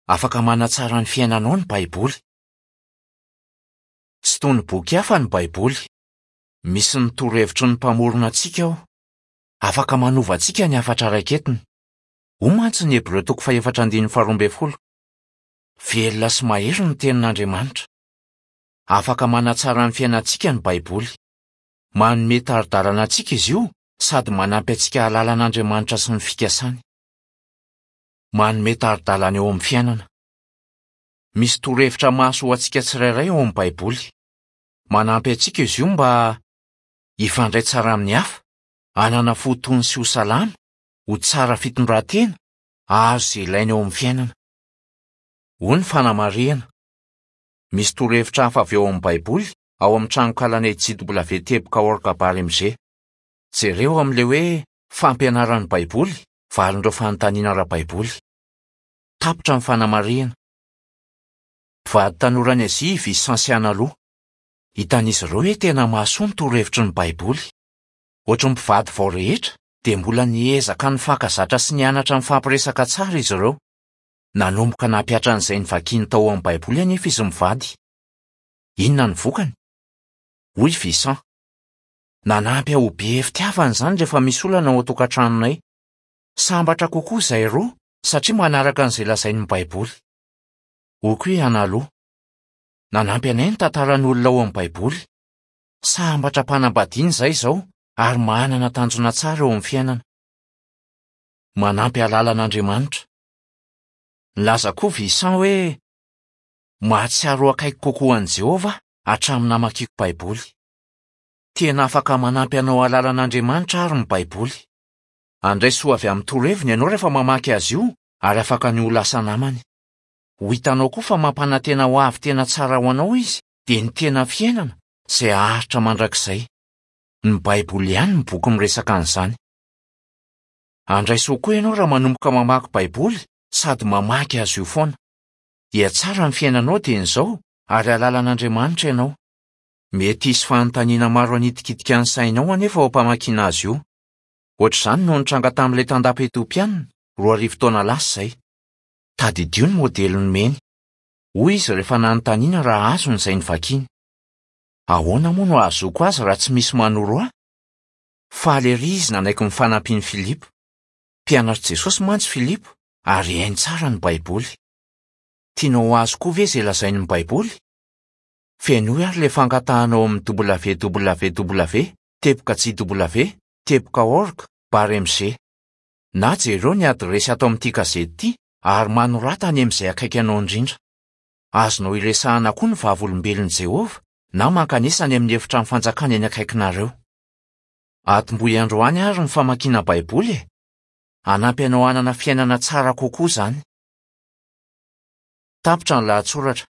Afaka manatsara ny fiainanao ny Baiboly. Tsy toy ny boky hafa ny Baiboly. Misy ny torohevitry ny Mpamorona antsika ao. Afaka manova antsika ny hafatra raiketiny. Hoy mantsy ny Hebreo toko fahefatra andininy faharoa ambin'ny folo, Velona sy mahery ny tenin'Andriamanitra. Afaka manatsara ny fiainantsika ny Baiboly. Manome tari-dalana antsika izy io sady manampy antsika hahalala an'Andriamanitra sy ny fikasany. Manome tari-dalana eo amin'ny fiainana. Misy torohevitra mahasoa ho antsika tsirairay ao amin'ny Baiboly. Manampy antsika izy io mba hifandray tsara amin'ny hafa, hanana fo tony sy ho salama, ho tsara fitondran-tena, hahazo izay ilaina eo amin'ny fiainana. Hoy ny fanamarihana. Misy torohevitra hafa avy ao amin'ny Baiboly ao amin'ny tranonkalanay jw-org-mg. Jereo amin'ilay hoe Fampianaran'ny Baiboly, Valin'ireo fanontaniana ara-baiboly. Tapitra ny fanamarihana. Mpivady tanora any Azia i Vicent sy Analu. Hitan'izy ireo hoe tena mahasoa ny torohevitry ny Baiboly. Hoatry ny mpivady vao rehetra, dia mbola niezaka nifankazatra sy nianatra nifampiresaka tsara izy ireo. Nanomboka nampihatra an'izay novakiny tao amin'ny Baiboly anefa izy mivady. Inona no vokany? Hoy i Vicent, Nanampy ahy ho be fitiavana izany rehefa misy olana ao an-tokantranonay. Sambatra kokoa izahay roa satria manaraka an'izay lazain'ny Baiboly. Hoy koa i Analu, Nanampy anay ny tantaran'olona ao amin'ny Baiboly. Sambatra am-panambadiana izahay izao ary manana tanjona tsara eo amin'ny fiainana. Manampy hahalala an'Andriamanitra. Nilaza koa Vicent hoe, Mahatsiaro ho akaiky kokoa an'i Jehovah aho hatramin'ny namakiako Baiboly. Tena afaka manampy anao hahalala an'Andriamanitra àry ny Baiboly. Handray soa avy amin'ny toroheviny ianao rehefa mamaky azy io, ary afaka ny ho lasa namany. Ho hitanao koa fa mampanantena hoavy tena tsara ho anao izy, dia ny tena fiainana, izay haharitra mandrakizay. Ny Baiboly ihany no boky miresaka an'izany. Handray soa koa ianao raha manomboka mamaky Baiboly sady mamaky azy io foana. Hihatsara ny fiainanao dieny izao, ary hahalala an'Andriamanitra ianao. Mety hisy fanontaniana maro hanitikitika ny sainao anefa ao am-pamakiana azy io. Hoatr'izany no nitranga tamin'ilay tandapa etiopianina, 2000 taona lasa izay. Tadidio ny modely nomeny. Hoy izy rehefa nanontaniana raha azony izay novakiny. Ahoana moa no hahazoako azy raha tsy misy manoro ahy? Faly erỳ izy nanaiky ny fanampian'i Filipo. Mpianatr'i Jesosy mantsy Filipo, ary hainy tsara ny Baiboly. Tianao ho azo koa ve izay lazain'ny Baiboly? Fenoy ary ilay fangatahana ao amin'ny www teboka jw teboka org bar mg. Na jereo ny adiresy ato amin'ity gazety ity ary manorata any amin'izay akaiky anao indrindra. Azonao iresahana koa ny Vavolombelon'i Jehovah na mankanesa any amin'ny Efitrano Fanjakana eny akaikinareo. Atombohy androany àry ny famakiana Baiboly e! Hanampy anao hanana fiainana tsara kokoa izany. Tapitra ny lahatsoratra.